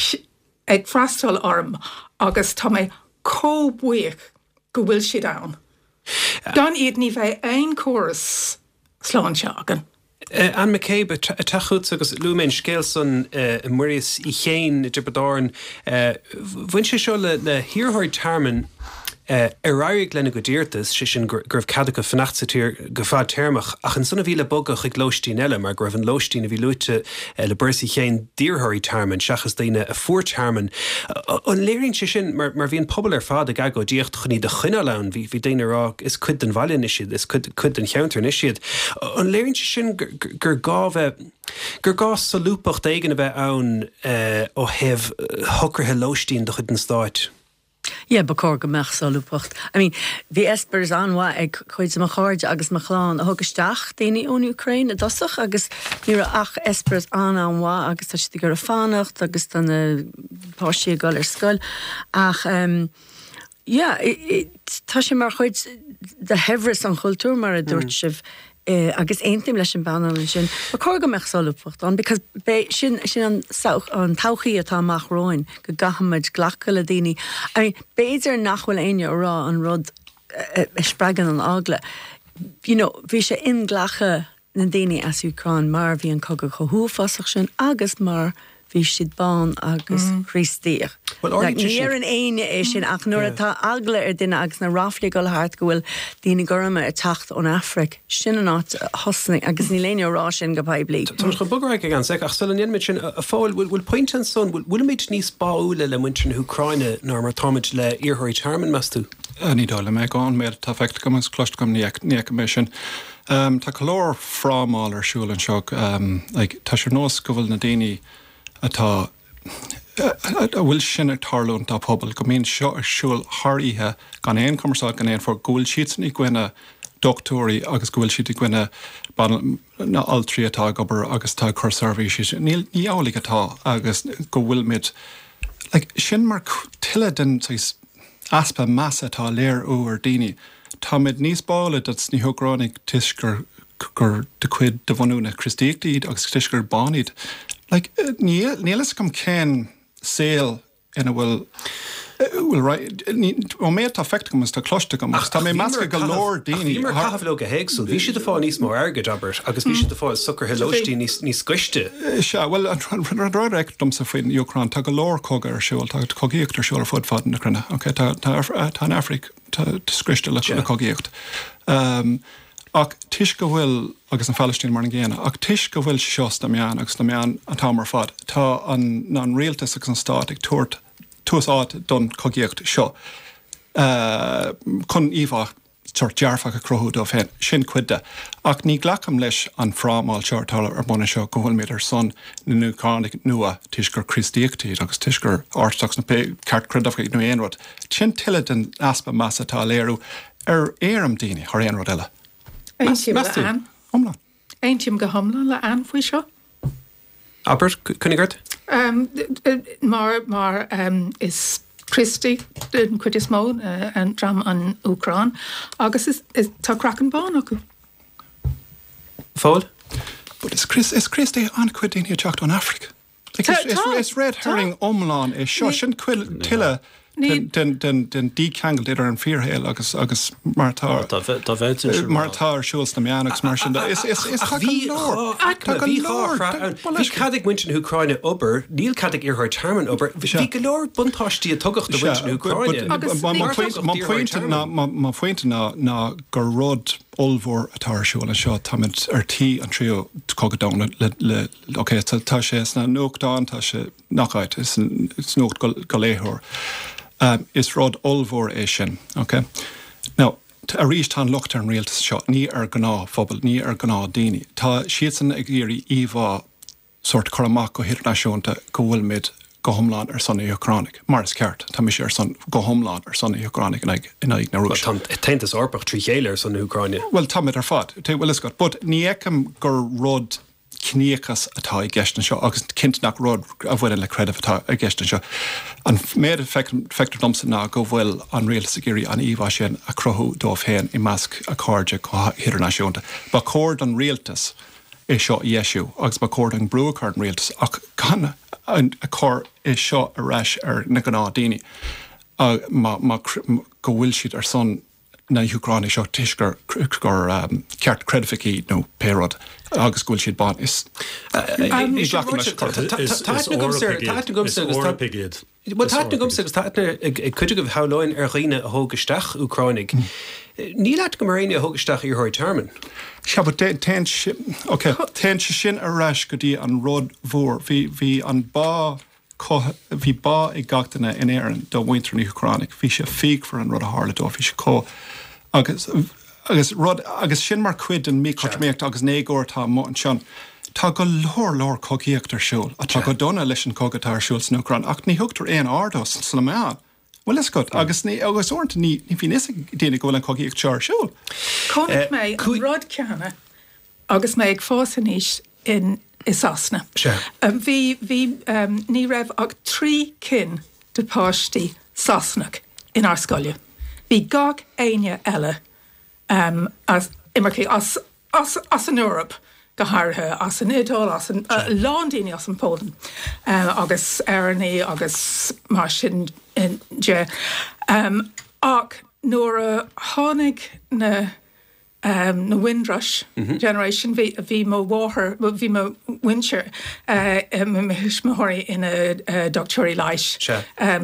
ag freastal orm agus tá mé chomh buíoch go bhfuil siad ann. Gan iad ní bheadh aon chóras sláinte againn. Anne McCabe, ag teacht chugatsa agus luaigh mé an scéal san i mBuiríos Uí Chéin i dTiobraid Árann. Bhain sé seo le hiarrthóirí tearmainn Ar éirigh lena gcuid iarratas, sé sin go raibh cead acu fanacht sa tír go fadtéarmach, ach ansan a bhí le bogadh chuig lóistín eile mar go raibh an lóistín a bhí luaite le Bercy féin d'iarrthóirí tearmainn seachas daoine a fuair tearmann. An léiríonn sé sin, mar mar bhí an pobal ar fad ag agóidíocht chun iad a choinneáil ann, bhí bhí daoine ag rá is cuid den bhaile anois iad, is cuid cuid den cheantar anois iad. An léiríonn sé sin gur gur gá bheith gur gá solúbthacht éigin a bheith ann ó thaobh shocruithe lóistín de chuid an stáit? Yeah, ba chóir go mbeadh solúbthacht. I mean, bhí eispéireas an-mhaith ag cuid de mo chairde agus mo chlann a thug isteach daoine ón Úcráin i dtosach agus ní raibh ach eispéireas an-an-mhaith agus tá siad ag iarraidh fanacht agus tá na páistí ag dul ar scoil ach um, yeah, tá sé mar chuid de shaibhreas an chultúir mar a dúirt mm. sibh eh, agus aontaím leis an bpainéal ansin. Ba chóir go mbeadh solúbthacht ann because be sin sin an an todhchaí atá amach romhainn go gcaithfimid glacadh le daoine. I mean, b'fhéidir nach bhfuil éinne ag rá an rud a spreagann an eagla. You know, bhí sé inghlactha na daoine as Úcráin mar bhí an cogadh chomh huafásach sin agus mar bhí siad bán agus mm. Críostaíoch. Ní an éinne é sin ach nuair atá eagla ar duine agus na ráflaí ag dul thart go bhfuil daoine gorma ag teacht ón Afraic sin an áit thosnaigh agus níl éinne ag rá sin go poiblí. Tá chun bogadh ag an sec ach sula ndéanaimid sin a Phóil bhfuil pointe ansan bhfuilimid níos báúla le muintir na hÚcráine ná mar atáimid le iarrthóirí tearmainn meas tú? Ní dóigh liom é ón méid atá feicthe agam agus cloiste agam ní fheicim é sin. Um, tá go leor frámáil ar siúl anseo um, like, tá sé nós go bhfuil na daoine atá a bhfuil sin ag tarlúint dá pobal, go mbíonn seo ar siúl thar oíche gan aon chumarsáid gan aon fógra, go bhfuil siadsan i gcoinne dochtúirí agus go bhfuil siad i gcoinne na altraí atá ag obair agus atá ag cur seirbhísí. Ní ní amhlaidh atá agus go bhfuilimid like, sin mar tuilleadh den easpa measa atá léiriú ar daoine. Táimid níos báúla dos na hÚcránaigh toisc gur gur de chuid de bhunú na Críostaíochta iad agus toisc gur bán iad. Like, níl níl a fhios agam cén saol ina bhfuil bhfuil ó méid atá feicthe agam is tá cloiste agam agus tá mé measctha go leor daoine. Bhíomar ag caitheamh leo go héagsúil. Bhí siad ag fáil níos mó airgid, abair, agus bhí siad ag fáil socruithe lóistín níos níos gaiste. Sea, bhuel an rud a fheictear domsa faoin Úcráin, tá go leor cogadh ar siúl, tá cogaíocht ar siúl ar fud fad na cruinne. Okay, tá tá tá an Afraic tá scriosta le le cogaíocht. Um, Ach toisc go bhfuil, agus an Phalaistín mar an gcéanna, ach toisc go bhfuil seo sna meáin agus sna meáin an t-am ar fad, tá an an rialtas agus an stát ag tabhairt tús áite don chogaíocht seo chun íomhá sórt dearfach a chruthú dóibh féin. Sin cuid de. Ach ní ghlacaim leis an frámáil seo atá ar bun anseo go bhfuilimid ar son na nÚcránaigh nua toisc gur Críostaíocht iad agus toisc gur Ortodox nó pé ceartchreidmheach nó aon rud. Sin tuilleadh den easpa measa atá á léiriú ar éirim daoine thar aon rud eile. Aontaím le Ann. Iomlán. Aontaím go hiomlán le Ann faoi seo. Abair, coinnigh ort. Um, mar mar um, is Críostaí den chuid is mó uh, an dream an Úcráin agus is, is, tá craiceann bán acu. Phóil? But is Chris is Críostaí an-chuid daoine ag teacht ón Afraic. Like, is, is, is red herring iomlán é seo sin tuilleadh den den den dícheangal idir an fíorshaol agus agus mar atá mar atá ar siúl sna meáin agus mar sin de. Is is is tá go leor tá go leor Bhí cead ag muintir na hÚcráine obair, níl cead ag iarrthóirí tearmainn obair. Bhí go leor buntáistí a tugadh do mhuintir na hÚcráine. Mo phointe ná mo phointe ná ná gur rud ollmhór atá ar siúl anseo táimid ar tí an tríú cogadh domhanda le le ok tá sé sna nuachtáin tá sé nach áit is is nuacht go go léitheoir. Um, is rud ollmhór é sin ok Now arís tá an locht ar an rialtas seo ní ar ghnáthphobal ní ar ghnáthdhaoine Tá siadsan ag iarraidh íomhá sórt cur amach go hidirnáisiúnta go bhfuilimid go hiomlán ar son na hÚcránaigh mar is ceart tá mise ar son go hiomlán ar son na hÚcránaigh in aghaidh in aghaidh na Rúise. Tá an tAontas Eorpach trí chéile ar son na hÚcráine. Well táimid ar fad bhfuil a fhios agat, but ní fheicim gur rud ciníochas atá i gceist anseo agus cinnte nach rud a bhaineann le creideamh atá i gceist anseo. An méid a feictear domsa ná go bhfuil an rialtas ag iarraidh an íomhá sin a chruthú dóibh féin i measc a cairde go hidirnáisiúnta. Ba chóir don rialtas é seo a dheisiú agus ba chóir don brú a chur ar an rialtas ach gan a chur é seo ar ais ar na gnáthdhaoine má má go bhfuil siad ar son na hÚcránaigh seo toisc gur gur ceartchreidmhigh iad nó pé rud agus go bhfuil siad bán. Is ní ghlacaim leis. Tá aithne agamsa agus tá Eorpaigh iad. Bhuel tá aithne agamsa agus tá aithne ag cuid agaibh shamhlóinn ar dhaoine a thóg isteach Úcránaigh. Níl aithne agam ar éinne a thóg isteach iarrthóirí tearmainn. Sea, but téann ok, téann sé sin ar ais go dtí an rud mhór. Bhí bhí an bá bhí bá ag gach duine in Éirinn do mhuintir na hÚcráine. Bhí sé fíochmhar an rud a tharla dóibh, bhí sé chomh agus agus rud agus sin mar chuid den míchothromaíocht agus an éagóir atá amuigh ansin. Tá go leor leor cogaíocht ar siúl, atá go dona leis an chogadh atá ar siúl san Úcráin, ach ní thugtar aon aird dó sna meáin. Bhfuil fhios agat, agus ní, agus uaireanta ní, ní bhíonn fhios ag daoine go bhfuil an chogaíocht seo ar siúl. Chonaic mé an rud céanna agus mé ag fás aníos in, i Sasana. Bhí, bhí, ní raibh ach trí cinn de páistí Sasanach inár scoile. Bhí gach éinne eile as, imircigh as, as, as an Eoraip. go háirithe as an Iodáil, as an, a lán daoine as an Pholainn agus Éireannaigh agus mar sin de. Ach nuair a tháinig na na Windrush generation, bhí bhí mo mháthair, bhí mo mhuintir, mo thuismitheoirí ina dochtúirí leighis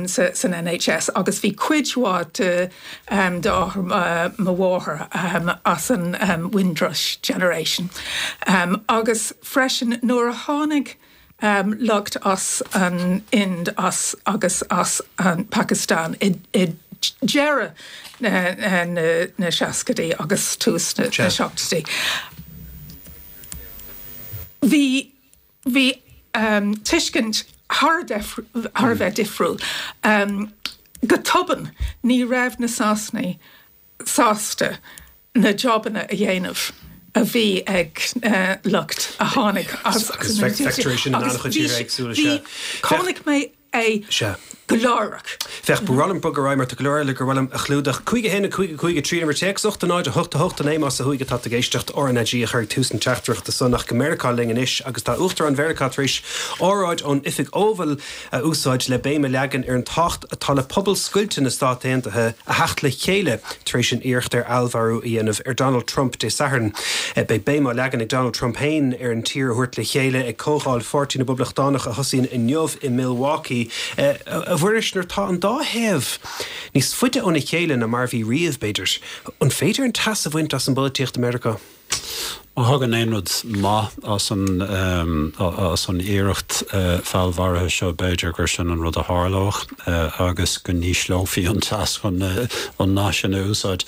san NHS agus bhí cuid mhaith de d'athair mo mháthar as an Windrush generation. Agus freisin nuair a tháinig lucht as an Ind as agus as an Pakistan i deireadh na seascaidí agus tús na seachtóidí, bhí bhí tuiscint thar thar a bheith difriúil. Go tobann ní raibh na Sasanaigh sásta na jobanna a dhéanamh a bhí ag lucht a tháinig as Agus feictear é sin in an-chuid tíortha éagsúla, sea. Chonaic mé é go láithreach. Féach, ba mhaith liom bogadh ar aghaidh mar tá go leor eile gur mhaith liom a chlúdach. Cúig a haon a cúig a cúig a trí uimhir téacs ocht a náid a hocht a hocht a naoi más ó thuaidh atá tú ag éisteacht RnaG a chur ag tús na teachtaireachta san ach go Meiriceá linn anois agus tá Uachtarán Mheiriceá tar éis óráid ón Oifig Oval a úsáid le béim a leagan ar an tábhacht atá le pobal scoilte na Stát Aontaithe a theacht le chéile tar éis an iarracht ar fheallmharú a dhéanamh ar Donald Trump Dé Sathairn. Beidh béim á leagan ag Donald Trump féin ar an tír a thabhairt le chéile ag Comhdháil Pháirtí na bPoblachtánach a thosaíonn inniu i Milwaukee. A Mhuiris, nuair atá an dá thaobh níos faide óna chéile ná mar a bhí riamh, b'fhéidir, an féidir an teas a bhaint as an bpolaitíocht i Meiriceá? Má thagann aon rud maith as an as an iarracht feallmharaithe seo, b'fhéidir gur sin an rud a tharlódh agus go n-ísleofaí an teas chun an nath sin a úsáid.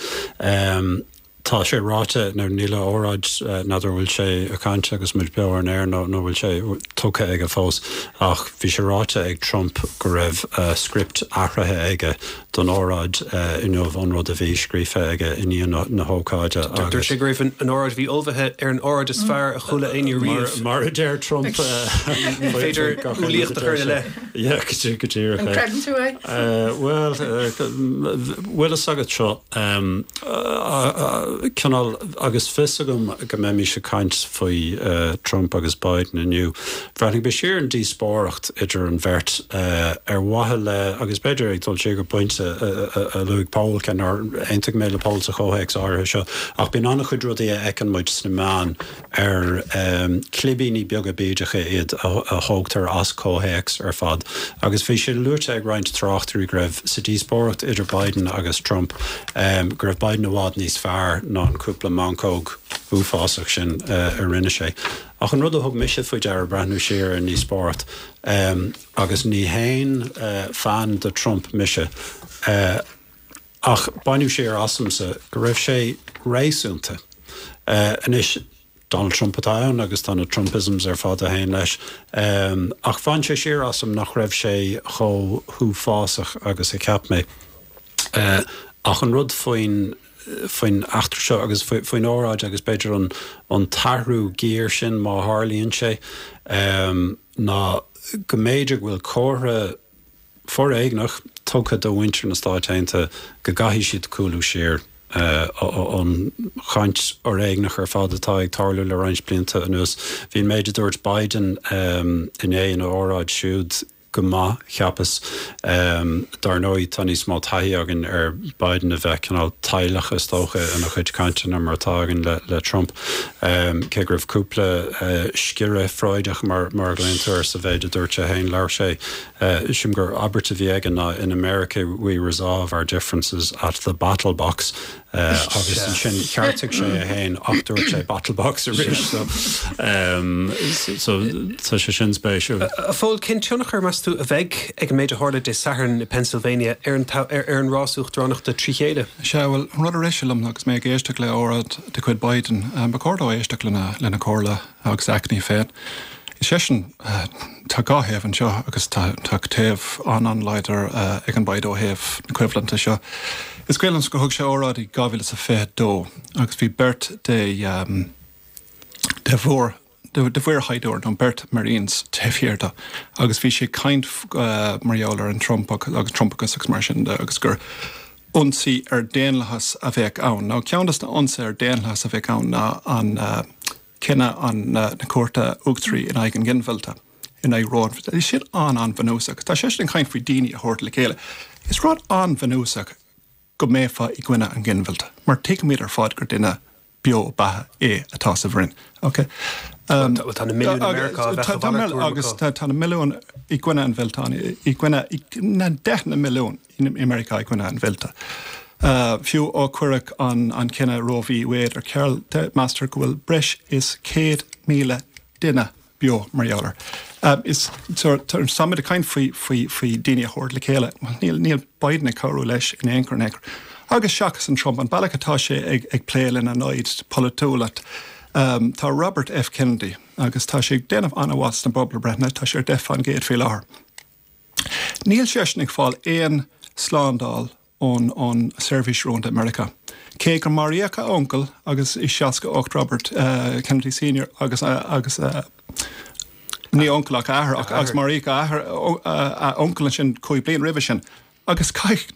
Tá sé ráite, nó níl a óráid, n'fheadar an bhfuil sé ag caint agus muid beo ar an aer nó nó bhfuil sé tugtha aige fós, ach bhí sé ráite ag Trump go raibh script athraithe aige don óráid inniu ón rud a bhí scríofa aige i ndiaidh na hócáide agus. Dúirt sé go raibh an óráid a bhí ullmhaithe ar an óráid is fearr a chuala éinne riamh. Mar a deir Trump. Ní féidir umhlaíocht a chur ina leith. Yeah, go díreach é. An gcreideann tú é? Bhuel, bhfuil fhios agat seo, cineál, agus fios agam go mbeimis ag caint faoi Trump agus Biden inniu, bhreathnaigh mé siar ar an díospóireacht idir an bheirt ar mhaithe le, agus b'fhéidir ag dul siar go pointe a luaigh Pól, cé nár aontaigh mé le Pól sa chomhthéacs áirithe seo, ach bíonn an-chuid rudaí a fheiceann muid sna meáin ar clibíní beaga bídeacha iad a thógtar as comhthéacs ar fad. Agus bhí sé luaite ag roinnt tráchtairí go raibh sa díospóireacht idir Biden agus Trump go raibh Biden i bhfad níos fearr ná an cúpla meancóg uafásach sin a rinne sé. Ach an rud a thug mise faoi deara breathnú siar ar an ndíospóireacht, agus ní haon fan de Trump mise, ach baineadh siar asamsa go raibh sé réasúnta. Anois, Donald Trump atá ann agus tá na Trumpisms ar fad a théann leis, ach bhain sé siar asam nach raibh sé chomh huafásach agus a cheap mé. Ach an rud faoin faoin eachtra seo agus faoin óráid agus b'fhéidir an an t-athrú giar sin má tharlaíonn sé, ná go mb'fhéidir go bhfuil comhartha foréigneach tugtha do mhuintir na Stáit Aontaithe go gcaithfidh siad cúlú siar ón chaint fhoréigneach ar fad atá ag tarlú le roinnt blianta anuas. Bhí an méid a dúirt Biden inné ina óráid siúd go maith, cheapas. Dar ndóigh, tá níos mó taithí againn ar Biden a bheith cineál tadhlach, is dócha, ina chuid cainteanna mar atá againn le Trump, cé go raibh cúpla sciorradh Freudach, mar a ghlaonn tú air, sa mhéid a dúirt sé féin. Labhair sé, sílim gur abairt a bhí aige ná 'In America we resolve our differences at the battle box'. Agus ansin cheartaigh sé é féin ach dúirt sé battle box arís. So, so tá sé sin spéisiúil. A Phóil, cén tionchar, meas tú, a bheidh ag an méid a tharla Dé Sathairn i Pennsylvania ar an ar an rás uachtaránachta trí chéile? Sea, bhuel, an rud a rith sé liom agus mé ag éisteacht le óráid de chuid Biden, ba chóir dó éisteacht lena lena chomhairle agus a aicní féin. Is seisean, tá dhá thaobh anseo agus tá tá taobh an-an-láidir ag an Biden ó thaobh na coimhlinte seo. Is cuimhin liom gur thug sé óráid i dhá mhíle is a fiche dó agus bhí beirt de de mhór de de mhuirshaighdiúir nó beirt Marines taobh thiar de agus bhí sé ag caint mar gheall ar an Trump agus Trumpachas agus mar sin de agus gur ionsaí ar daonlathas a bheadh ann. Nó ceann de na ionsaithe ar daonlathas a bheadh ann ná an cinneadh an na Cúirte Uachtaraí in aghaidh an ghinmhillte, in aghaidh Roe. Tá sin an-an-bhunúsach. Tá seisean ag caint faoi daoine a thabhairt le chéile. Is rud an-bhunúsach go mbeifeá i gcoinne an ghinmhillte, mar tuigimid ar fad gur duine beo beatha é atá sa bhroinn. Ok. Um, tá na milliúin i Meiriceá a bheadh a mhalairt tuairim Agus tá tá na milliúin i gcoinne an mhillte, i gcoinne na deicheanna milliún i Meiriceá i gcoinne an mhillte. Uh, fiú ó cuireadh an, an cinneadh Roe v. Wade ar ceal, meastar go bhfuil breis is céad míle duine beo mar gheall air. Um, is táimid ag caint faoi faoi faoi daoine a thabhairt le chéile. Níl níl Biden ag cabhrú leis in aon chor in aon chor. Agus seachas an Trump, an bealach atá sé ag ag plé lena namhaid polaitiúla. Um, tá Robert F. Kennedy agus tá sé ag déanamh an-mhaith sna pobalbhreitheanna, tá sé ar deich faoin gcéad faoi láthair. Níl seisean ag fáil aon slándáil ón ón seirbhís rúnda i Meiriceá. Cé gur maraíodh a uncail agus i seasca ocht Robert uh, Kennedy Senior agus uh, agus uh, ní uncail ach athair ach agus maraíodh a athair a uncail ansin cúig bliain roimhe sin. Agus chonaic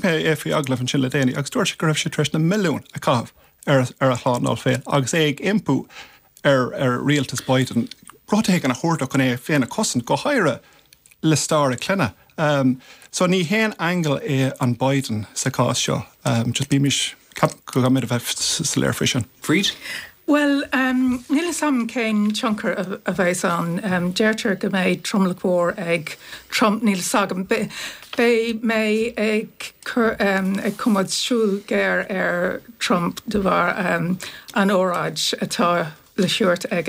mé é faoi agallamh ansin le déanaí agus dúirt sé go raibh sé tar éis na milliúin a chaitheamh ar ar a shlándáil féin agus é ag impí ar ar rialtas Biden rud éigin a thabhairt dó chun é féin a chosaint go háirithe le stair a clainne. Um, so ní haon aingeal é an Biden sa chás seo. Um, just bímis go mbeidh a bheith soiléir faoi sin. Bríd? Well, um, níl a fhios agam cén tionchar a, a bheas ann. Um, deirtear go mbeidh tromlach mhór ag Trump níl a fhios agam. Beidh mé ag cur um, ag coimeád súil géar ar Trump de bharr um, an óráid atá le tabhairt ag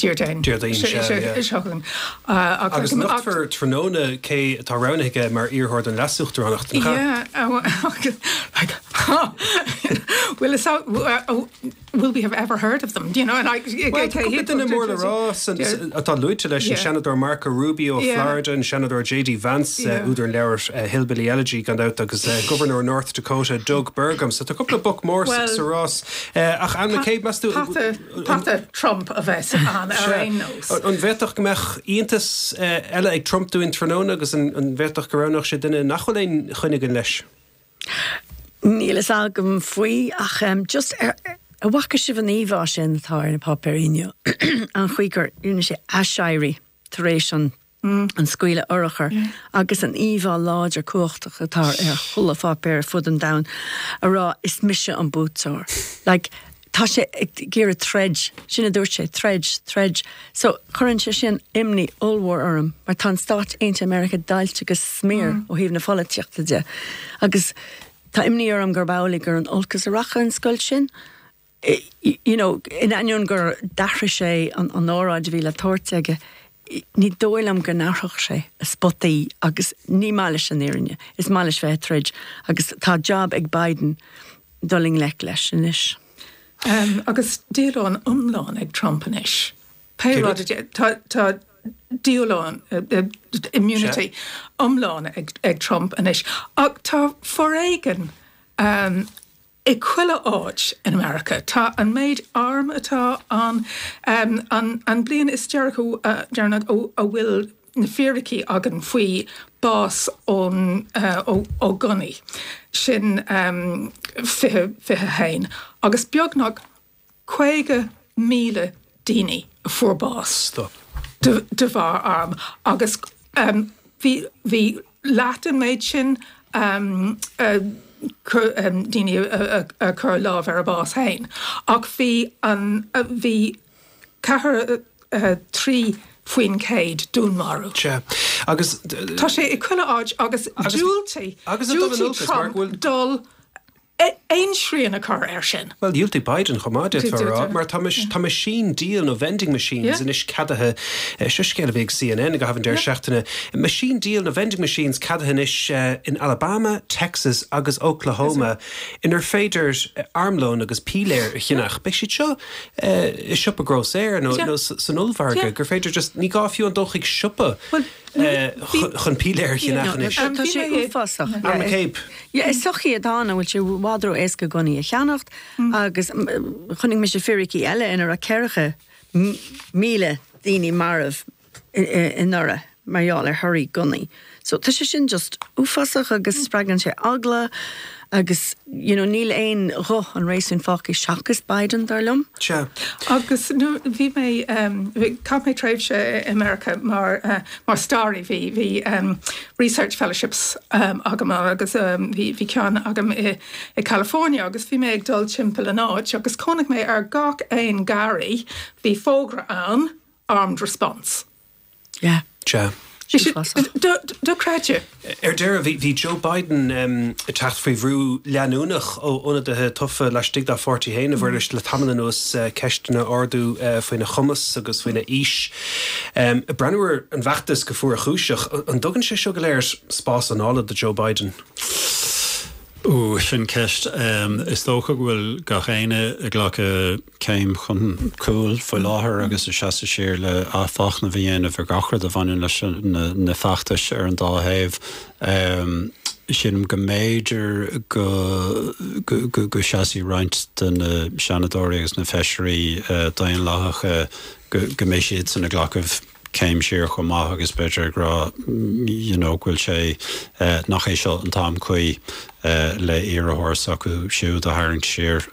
Déardaoin. Déardaoin seo. Agus nochtfar tráthnóna cé atá roghnaithe mar iarrthóir don leasuachtaránacht. Yeah, like, huh. Will, will we have ever heard of them? Do you know, and I, well, duine mór le rá atá luaite leis an Seanadóir Marco Rubio yeah. Florida an Seanadóir J D Vance yeah. údar an leabhair Hillbilly Elegy gan dabht agus Governor North Dakota Doug Burgum, so tá cúpla boc mór sa rás ach Anne McCabe meas tú Pata Trump a bheas ann ar aon nós. An bhféadfadh go mbeadh iontas eile ag Trump dúinn tráthnóna agus an bhféadfadh go roghnódh sé duine nach bhfuil aon choinne againn leis? Níl a fhios agam faoi ach um, just ar an bhfaca sibh an íomhá sin atá ar na páipéirí inniu an chaoi gur rinne sé aiséirí tar éis an mm. an scaoileadh urchar yeah. agus an íomhá láidir cumhachtach atá ar chuile pháipéar fud an domhain a rá is mise an buaiteoir. Like, tá sé ag iarraidh troid sin a dúirt sé troid troid so cuireann sé sin imní ollmhór orm mar tá Stáit Aontaithe Meiriceá deighilte go smior mm. ó thaobh na polaitíochta de agus tá imní orm gur amhlaidh gur in olcas a rachaidh an scoilt sin you know in ainneoin gur d'athraigh sé an an óráid a bhí le tabhairt aige ní dóigh liom go n-athródh sé a spotaí agus ní maith leis an fhírinne is maith leis bheith ag troid agus tá job ag Biden dul i ngleic leis anois. Um, agus díolúine iomlán ag Trump anois. Pé rud tá tá díolúine uh, uh, immunity iomlán ag, ag Trump anois. Ach tá foréigean um, i chuile áit in America. Tá an méid arm atá an, um, an, an bliain is deireanaí uh, deireanach a bhfuil na fíricí againn faoi bás ón uh, ó, ó gunnaí sin um, fiche fiche haon agus beagnach caoga míle daoine a fuair bás. Stop. De, de bharr arm agus Bhí bhí leath den méid sin um, uh, um, daoine a chur lámh ar a bás féin. Ach bhí an bhí ceathair trí faoin céad dúnmarú. Sea. Agus Tá sé i chuile áit agus diúltaigh diúltaigh Trump dul aon srian a chur air sin. Bhuel, dhiúltaigh Biden chomh maith, d'fhéadfá a rá, mar tá tá meaisín díol nó vending machines anois ceadaithe, seo scéal a bhí ag CNN ag an deireadh seachtaine, meaisín díol nó vending machines ceadaithe anois in Alabama, Texas agus Oklahoma inar féidir armlón agus piléar a cheannach. Beidh siad seo i siopa grósaera nó nó san ollmhargadh gur féidir just ní gá fiú an dul chuig siopa chun piléar a cheannach anois. Tá sé uafásach. Anne McCabe. Yeah, is sochaí atá ann a bhfuil sé i bhfad ró-éasca gunnaí a cheannacht agus chonaic mise fíricí eile ina raibh ceathracha míle daoine marbh anuraidh mar gheall ar thoradh gunnaí. So tá sé sin just uafásach agus spreagann sé eagla agus you know níl aon ghuth an réasúin fágtha seachas Biden dar liom. Sea. Agus bhí mé chaith mé tréimhse i Meiriceá mar mar staraí bhí bhí research fellowships agam agus bhí bhí ceann agam i i California agus bhí mé ag dul timpeall an áit agus chonaic mé ar gach aon garraí bhí fógra ann armed response. Yeah. Sea. Dochreidte. Ar deireadh, bhí bhí Joe Biden ag teacht faoi bhrú leanúnach ó ionadaithe tofa laistigh dá pháirtí féin, a Mhuiris, le tamall anuas ceisteanna a ardú faoina chumas agus faoina aois. Ag breathnú ar an bhfeachtas go fuarchúiseach, an dtugann sé seo go léir spás anála do Joe Biden? Ó, sin ceist. Is dócha go bhfuil gach éinne ag glacadh céim chun cúil faoi láthair agus ag seasamh siar le athmhachnamh a dhéanamh ar gach rud a bhaineann leis na feachtais ar an dá thaobh. Sílim go mb'fhéidir go go seasfaidh roinnt de na seanadóirí agus na feisirí daonlathacha go go mbeidh siadsan ag glacadh céim siar chomh maith agus b'fhéidir ag rá you know go bhfuil sé nach é seo an t-am cuí le iarrthóir s'acu siúd a tharraingt siar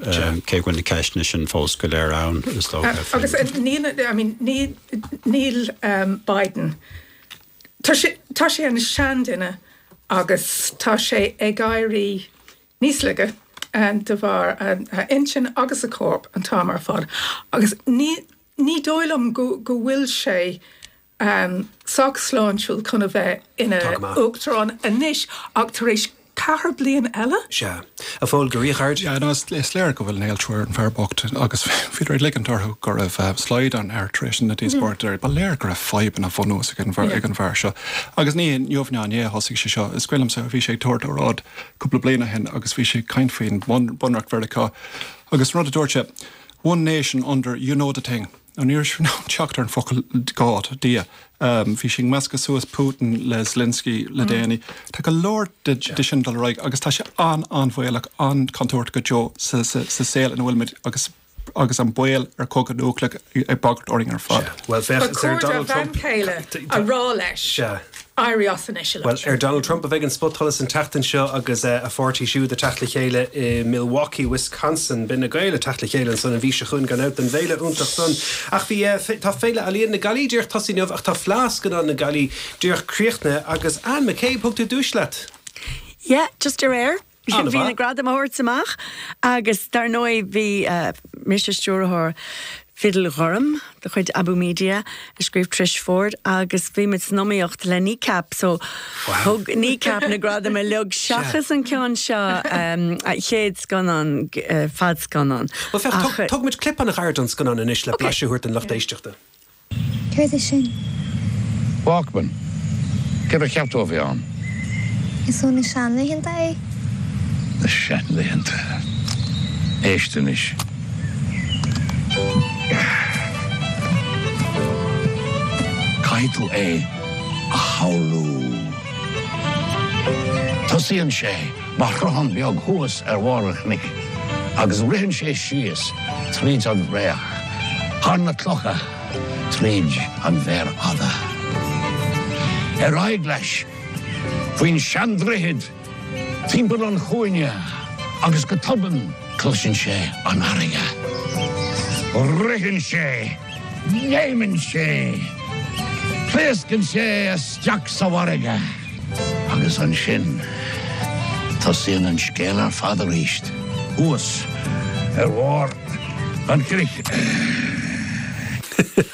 cé go bhfuil na ceisteanna sin fós go léir ann is dócha. Agus níl I mean níl níl Biden tá sé tá sé ina sheanduine agus tá sé ag éirí níos laige de bharr a intinn agus a chorp an t-am ar fad agus ní Ní dóigh liom go go bhfuil sé sách sláintiúil chun a bheith ina uachtarán anois ach tar éis ceathair bliain eile? Sea. A Phóil, go ríghairid. Yeah, no, is léir go bhfuil néaltrú ar an bhfear bocht agus bhíodar ag ligint orthu go raibh slaghdán air tar éis na díospóireachta. Ba léir go raibh fadhbanna bunús ag an bhfear seo. Agus ní inniu ná inné a thosaigh sé seo. Is cuimhin liomsa, bhí sé ag tabhairt óráid cúpla bliain ó shin agus bhí sé ag caint faoin Bunreacht Mheiriceá agus an rud a dúirt sé, One nation under, you know the thing. Nó ní raibh sé in ann teacht ar an focal God, Dia. Bhí sé ag meascadh suas Putin le Zelensky le déanaí. Tá go leor de sin dul ar aghaidh agus tá sé an-an-bhaolach, an-chontúirteach go deo sa saol ina bhfuilimid agus agus an baol ar chogadh núicléach ag bagairt orainn ar fad. Bhuel, Ba féach, is ar chóir dá Donald bhean Trump. chéile a rá leis éirí as anois, a Bhuel, Lutz. ar Donald Trump a bheidh an spotsholas an tseachtain seo agus a pháirtí siúd ag teacht le chéile i Milwaukee, Wisconsin. Beidh na Gaeil ag teacht le chéile ansan an mhí seo chugainn gan dabht don bhféile iontach san. Ach bhí, tá Féile Ealaíon na Gaillimhe díreach tosaithe inniu ach tá Fleadh Scannán na Gaillimhe díreach críochnaithe agus Anne McCabe, thug tú duais leat. Yeah, just aréir. An-mhaith. Bhí na gradaim á thabhairt amach agus dar ndóigh bhí mise stiúrthóir Fidil Ghorm de chuid Abú Media a scríobh Trish Ford agus bhí muid san iomaíocht le Kneecap so thug Kneecap na gradaim uilig seachas an ceann seo a chéad scannán fadscannán. Bhuel féach, tógfaidh muid clip an-ghairid den scannán anois le blaiseadh a thabhairt don lucht éisteachta. Céard é sin? Walkman. Céard a cheap tú a bhí ann? Is ó na seanlaethanta é. Na seanlaethanta. Éist anois. Caithfidh tú é a shamhlú. Tosaíonn sé mar shruthán beag thuas ar bharr an chnoic agus ritheann sé síos tríd an bhfraoch, thar na clocha, tríd an bhféar fhada. Ar aghaidh leis faoin seandroichead, timpeall an chúinne agus go tobann cloiseann sé an fharraige. Ritheann sé! Léimeann sé! Pléascann sé isteach sa bhfarraige. Agus ansin tosaíonn an scéal ar fad arís. Thuas ar bharr an chnoic.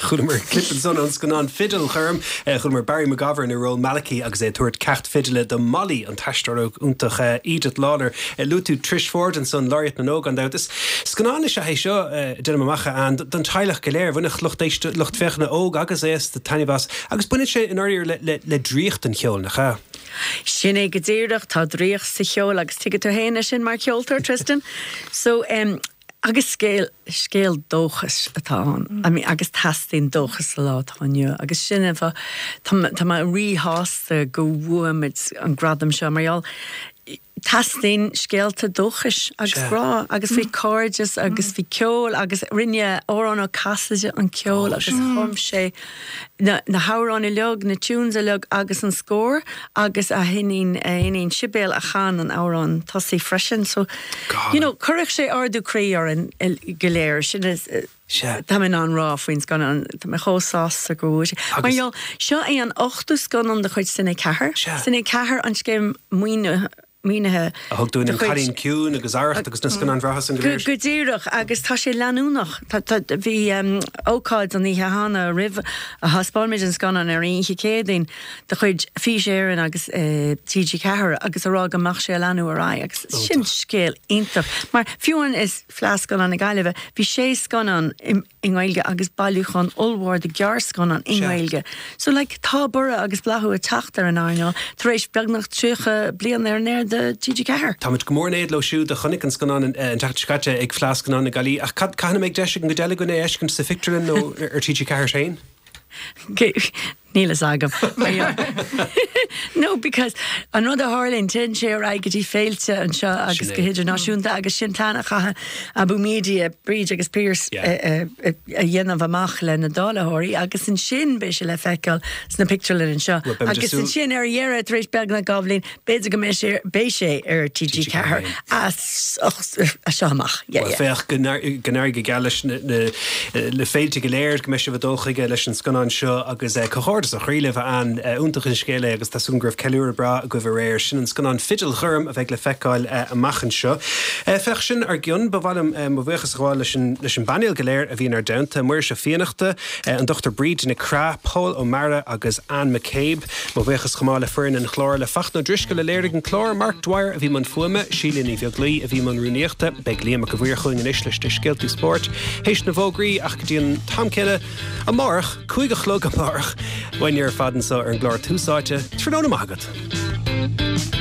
Chualamar clip ansan ón scannán Fidil Ghorm, chualamar Barry McGovern i ról Malachy agus é ag tabhairt ceacht fidile do Molly an t-aisteoir óg iontach Edith Lawler. Luaigh tú Trish Forde ansan Laureate na nÓg gan dabht. Is scannán is ea é seo déanaim amach an don teaghlach go léir, bhainfeadh lucht éiste lucht féachana óg agus aosta taitneamh as, agus baineann sé i ndáiríre le, le, le draíocht an cheoil, nach ea? Sin é go díreach tá draíocht sa cheol agus tuigeann tú féin é sin mar cheoltóir Tristan. So um, agus scéal scéal dóchais atá ann. Mm. I mean, agus teastaíonn dóchas sa lá atá inniu agus sin an fáth tá mé ríshásta go bhfuair muid an gradam seo mar gheall teastaíonn scéalta dóchais agus grá agus faoi cairdeas agus faoi ceol agus rinne Odhrán Ó Casaide an ceol agus chum sé na, na hamhráin uilig, na tunes uilig agus an scór agus a hiníon a hiníon Sibéal a chan an amhrán tosaigh freisin so you know, chuirfeadh sé ardú croí orainn go léir sin is Tá mé an rá faoin scannán Tá mé chomh sásta go bhfuil sé. Mar gheall seo é an ochtú scannán de chuid Cine Ceathair. Cine Ceathair an scéim maoine maoinithe. A thug dúinn An Cailín Ciúin agus Arracht agus na scannáin bhreátha san go léir. Go díreach agus tá sé leanúnach. Bhí ócáid an oíche cheana roimh a thaispeáin muid an scannán ar oíche Céadaoin de chuid Fís Éireann agus TG Ceathair agus a rá go mbeadh sé ag leanúint ar aghaidh agus sin scéal iontach. Mar fiú amháin is Fleadh Scannán na Gaillimhe bhí sé scannán i nGaeilge agus bailiúchán ollmhór de ghearrscannáin i nGaeilge. So like tá borradh agus bláthú ag teacht ar an earnáil tar éis beagnach tríocha bliain ar an aer do TG Ceathair. Táimid go mór in éad leo siúd a chonaic an scannán an tseachtain seo caite ag Fleadh Scannán na Gaillimhe ach cad cathain a mbeidh deis ag an gcuid eile againn é a fheiscint sa phictiúrlann nó ar TG Ceathair féin? Níl a fhios agam. No because an rud a tharlaíonn téann sé ar aghaidh go dtí féilte anseo agus go hidirnáisiúnta agus sin plean a chaithfidh Abú Media, Bríd agus Pearse a dhéanamh amach le na dáilitheoirí agus ansin beidh sé le feiceáil sna pictiúrlanna anseo. Agus ansin ar dheireadh tar éis beagnach dhá bhliain b'fhéidir go mbeidh sé beidh sé ar TG Ceathair as seo amach. Well féach go n-éirí go geal leis na féilte go léir go mbeidh sibh ag dul chuige leis an scannán seo agus comhghairdeas ó chroí libh a Ann. Iontach an scéal é agus tá súil agam go raibh ceiliúradh breá agaibh aréir. Sin an scannán Fidil Ghorm a bheidh le feiceáil amach anseo. Féach sin ár gcionn. Ba mhaith liom mo bhuíochas a ghabháil leis an leis an bpainéal go léir a bhí inár dteannta, Muiris Ó Fiannachta, an Dochtúir Bríd Nic Craith, Pól Ó Meara agus Ann McCabe. Mo bhuíochas chomh maith le foireann an chláir, le Fachtna Ó Drisceoil a léirigh an clár, Mark Dwyer a bhí i mbun fuaime, Síle Ní Bheaglaoí a bhí i mbun rúnaíochta. Beidh Liam Mac a' Mhaoir chugainn anois leis na scéalta spóirt théis na bhfógraí ach go dtí an t-am céanna amárach, cúig a chlog amárach, uainne ar fad anseo ar an gclár Tús Áite, tráthnóna maith agat.